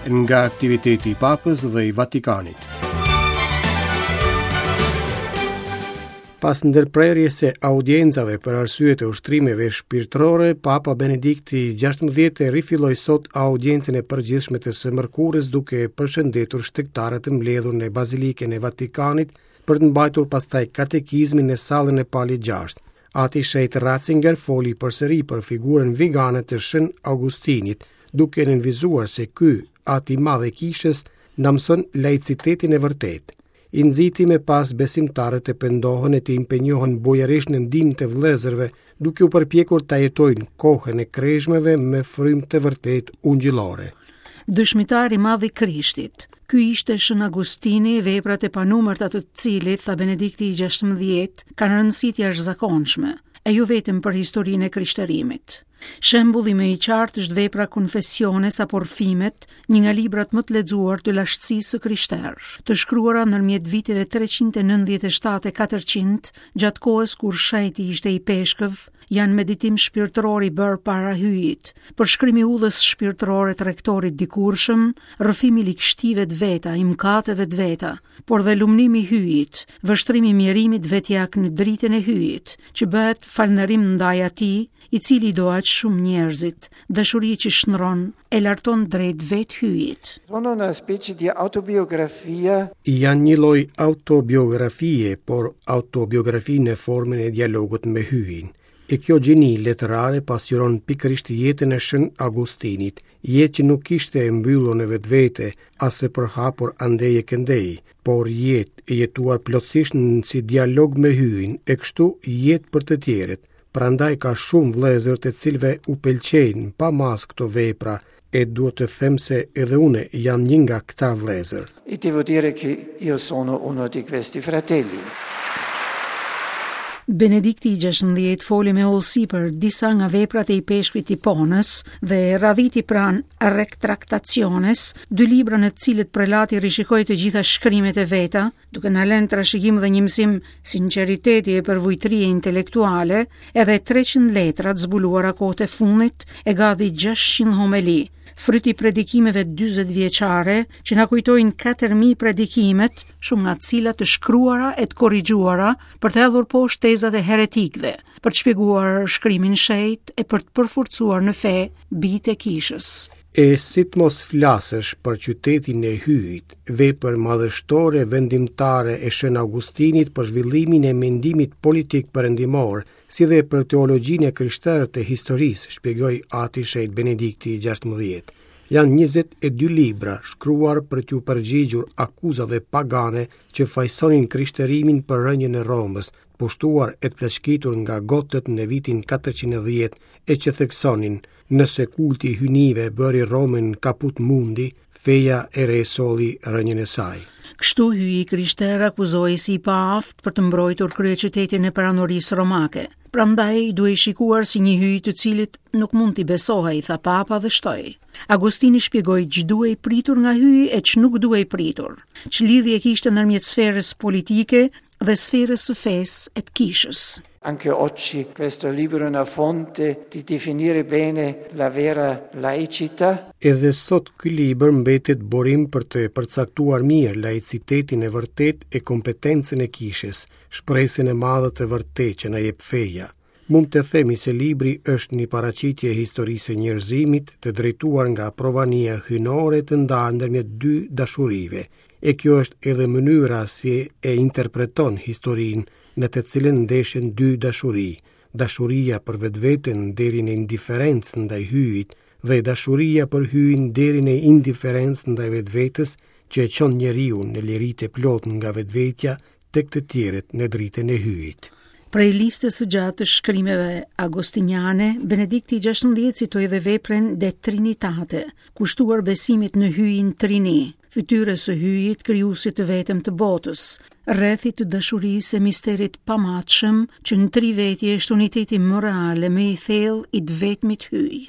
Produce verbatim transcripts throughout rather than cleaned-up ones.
Nga aktiviteti i Papës dhe i Vatikanit. Pas ndërprerjes së audiencave për arsye të ushtrimeve shpirtërore, Papa Benedikti gjashtëmbëdhjetë rifilloi sot audiencën e përgjithshme të së mërkurës duke përshëndetur shtegtarët e mbledhur në Bazilikën e Vatikanit për të mbajtur pastaj katekizmin në sallën e Palit gjashtë. Ati Shenjt Ratzinger foli përsëri për figurën vigane të Shën Augustinit, duke nënvizuar se ky at i madh i kishës na mëson laicitetin e vërtetë. I nxiti me pas besimtarët të pendohen e të impenjohen bujarisht në ndihmë të vëllezërve, duke u përpjekur ta jetojnë kohën e kreshmeve me frymë të vërtetë ungjillore. Dëshmitar i madh i Krishtit. Ky ishte Shën Agustini, veprat e panumërta të cilit, tha Benedikti i gjashtëmbëdhjetë, kanë rëndësi të jashtëzakonshme, e jo vetëm për historinë e krishterimit. Shembulli më i qartë është vepra Confessiones apo Rrëfimet, një nga librat më të lexuar të lashtësisë së krishterë, të shkruara ndërmjet viteve treqind e nëntëdhjetë e shtatë e katërqind, gjatë kohës kur shenjti ishte i peshkëv, janë meditim shpirtëror i bërë para hyjit, përshkrimi i udhës shpirtërore të rektorit dikurshëm, rrëfimi i ligështive të veta, i mëkateve të veta, por dhe lumnimi i hyjit, vështrimi i mjerimit vetjak në dritën e hyjit, që bëhet falënderim ndaj atij, i cili do aq shumë njerëzit, dashuri që shndron e larton drejt vetë hyjit. Sono una specie di autobiografia. Janë një lloj autobiografie, por autobiografi në formën e dialogut me hyjin. E kjo gjeni letrare pasqyron pikërisht jetën e Shën Augustinit, jetë që nuk ishte e mbyllur në vetvete, as e përhapur andej e këndej, por jetë e jetuar plotësisht në si dialog me hyjin, e kështu jetë për të tjerët. Prandaj ka shumë vëllezër të cilëve u pëlqejnë pa masë këto vepra, e duhet të them se edhe une jam një nga këta vëllezër. E devo dire che io sono uno di questi fratelli. Benedikti i gjashtëmbëdhjetë foli me hollësi për disa nga veprat e ipeshkvit Hiponës dhe radhiti pranë Retractationes, dy libra në të cilët prelati rishikoi të gjitha shkrimet e veta, duke na lënë trashëgim dhe një mësim sinqeriteti e përvujtërie intelektuale, edhe treqind letra të zbuluara kohët e fundit e gati gjashtëqind homeli, fryt i predikimeve dyzet vjeçare që na kujtojnë katër mijë predikimet, shumë nga të cilat të shkruara e të korrigjuara për të hedhur poshtë tezat e heretikëve, për të shpjeguar shkrimin shenjt e për të përforcuar në fe bijtë e kishës. E si të mos flasësh për qytetin e Hyjit, vepër madhështore vendimtare e Shën Augustinit për zhvillimin e mendimit politik perëndimor, si dhe për teologjinë e krishterë të historisë, shpjegoi Ati Shenjt Benedikti i gjashtëmbëdhjetë. Janë njëzet e dy libra shkruar për t'u përgjigjur akuzave pagane që fajsonin krishterimin për rënien e Romës, pushtuar e të plaçkitur nga gotët në vitin katërqind e dhjetë, e që theksonin nëse kulti i hyjnive bëri Romën kaput mundi, feja e re solli rënien e saj. Kështu hyji i krishterë akuzohej si i paaftë për të mbrojtur kryeqytetin e perandorisë romake. Prandaj duhej shikuar si një hyj të cilit nuk mund t'i besohej, tha Papa dhe shtoi. Agustini shpjegoi ç'duhej pritur nga hyji e ç'nuk duhej pritur, ç'lidhje kishte ndërmjet sferës politike dhe sferës së fesë e të kishës. Anche oggi questo libro è una fonte di definire bene la vera laicità. Edhe sot ky libër mbetet burim për të përcaktuar mirë laicitetin e vërtetë e kompetencën e kishës, shpresën e madhe të vërtetë që na jep feja. Mund të themi se libri është një paraqitje e historisë së njerëzimit të drejtuar nga provania hyjnore të ndarë ndërmjet dy dashurive, e kjo është edhe mënyra si e interpreton historinë në të cilën ndeshen dy dashuri, dashuria për vetveten deri në indiferencë ndaj hyjit dhe dashuria për hyjin deri në indiferencë ndaj vetvetes që e çon njeriu në liri të plotë nga vetvetja tek të tjerët në dritën e hyjit. Prej listës së gjatë të shkrimeve agostiniane, Benedikti i gjashtëmbëdhjetë citoi edhe veprën De Trinitate, kushtuar besimit në hyjin Trini, fytyrës së hyjit, krijuesit të vetëm të botës, rrethit të dashurisë e misterit pamatshëm, që në tri vetje është uniteti më real e më i thellë i të vetmit hyj.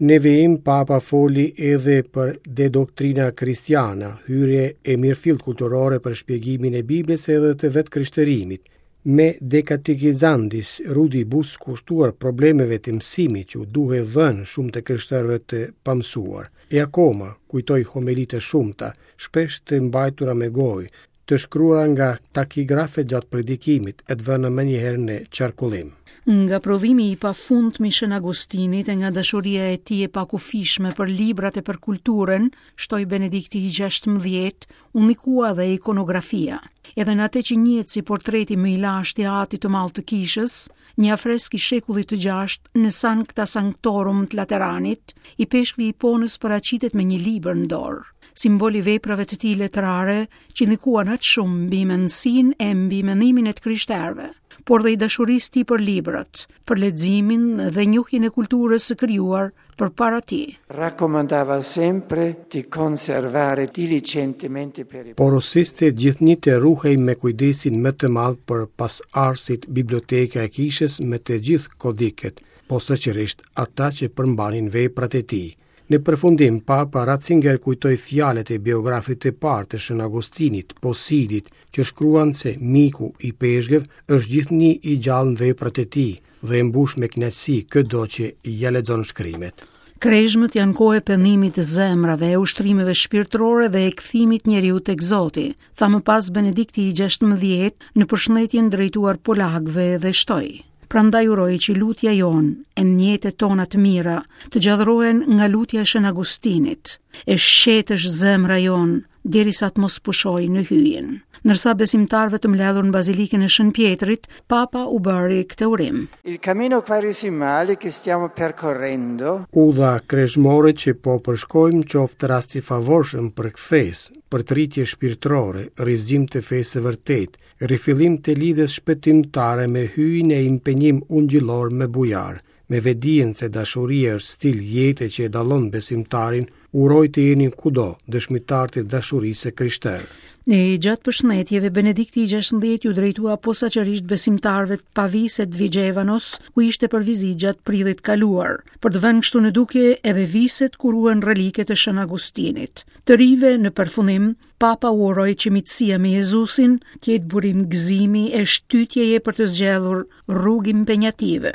Në vijim, Papa foli edhe për De Doctrina Christiana, hyrje e mirëfillt kulturore për shpjegimin e Biblës edhe të vetë krishterimit. Me De Catechizandis Rudibus kushtuar problemeve të mësimit që u duhej dhënë shumë të krishterëve të pamësuar. E akoma, kujtoi homelitë e shumta, shpesh të mbajtura me gojë, të shkruara nga takigrafe gjatë predikimit e të vëna menjëherë në qarkullim. Nga prodhimi i pafundmë i Shën Agustinit e nga dashuria e tij e pakufishme për librat e për kulturën, shtoi Benedikti i gjashtëmbëdhjetë, u ndikua dhe ikonografia. Edhe në atë që njihet si portreti më i lashtë i atit të madh të kishës, një afresk i shekullit të gjashtë në Sancta Sanctorum të Lateranit, ipeshkvi i Hiponës paraqitet me një libër në dorë, simbol i veprave të tij letrare që ndikuan aq shumë mbi mendësinë e mbi mendimin e të krishterëve, por dhe i dashurisë tij për librat, për leximin dhe njohjen e kulturës së krijuar përpara tij. Raccomandava sempre di conservare diligentemente per i Porosiste gjithnjë të ruhej me kujdesin më të madh për pasardhësit biblioteka e kishës me të gjithë kodikët, posaçërisht ata që përmbanin veprat e tij. Në përfundim, Papa Ratzinger kujtoi fjalët e biografit të parë të Shën Agustinit, Posidit, që shkruan se miku i ipeshkëv është gjithnjë i gjallë në veprat e tij dhe e mbush me kënaqësi këdo që ia lexon shkrimet. Krezhmët janë kohë e pendimit të zemrave, e ushtrimeve shpirtërore dhe e kthimit njeriu tek Zoti, tha më pas Benedikti i gjashtëmbëdhjetë në përshëndetjen drejtuar polakëve dhe shtoi: Prandaj uroj që lutja jonë e njetet tona të mira të gjallërohen nga lutja e Shën Agustinit, e shetësh zemra jonë derisa të mos pushojë në hyjin. Ndërsa besimtarëve të mbledhur në Bazilikën e Shën Pjetrit, Papa u bëri këtë urim. Il cammino quaresimale che stiamo percorrendo Udha krezhmore që po përshkojmë qoftë rast i favorshëm për kthesë, për të rritje shpirtërore, rizgjim të fesë së vërtetë, rifillim të lidhjes shpëtimtare me hyjin e impenjim ungjillor me bujar, me vedijen se dashuria është stil jete që e dallon besimtarin, uroj të jeni kudo dëshmitar të dashurisë së krishterë. E gjatë përshëndetjeve, Benedikti i gjashtëmbëdhjetë ju drejtua posaçërisht besimtarëve të Paviset të Vigevanos, ku ishte për vizitë gjatë prillit kaluar, për të vënë kështu në dukje edhe viset ku ruhen reliket e Shën Agustinit. Të rive në përfundim, Papa u uroi që miqësia me Jezusin të jetë burim gëzimi e shtytjeje për të zgjedhur rrugë impenjative.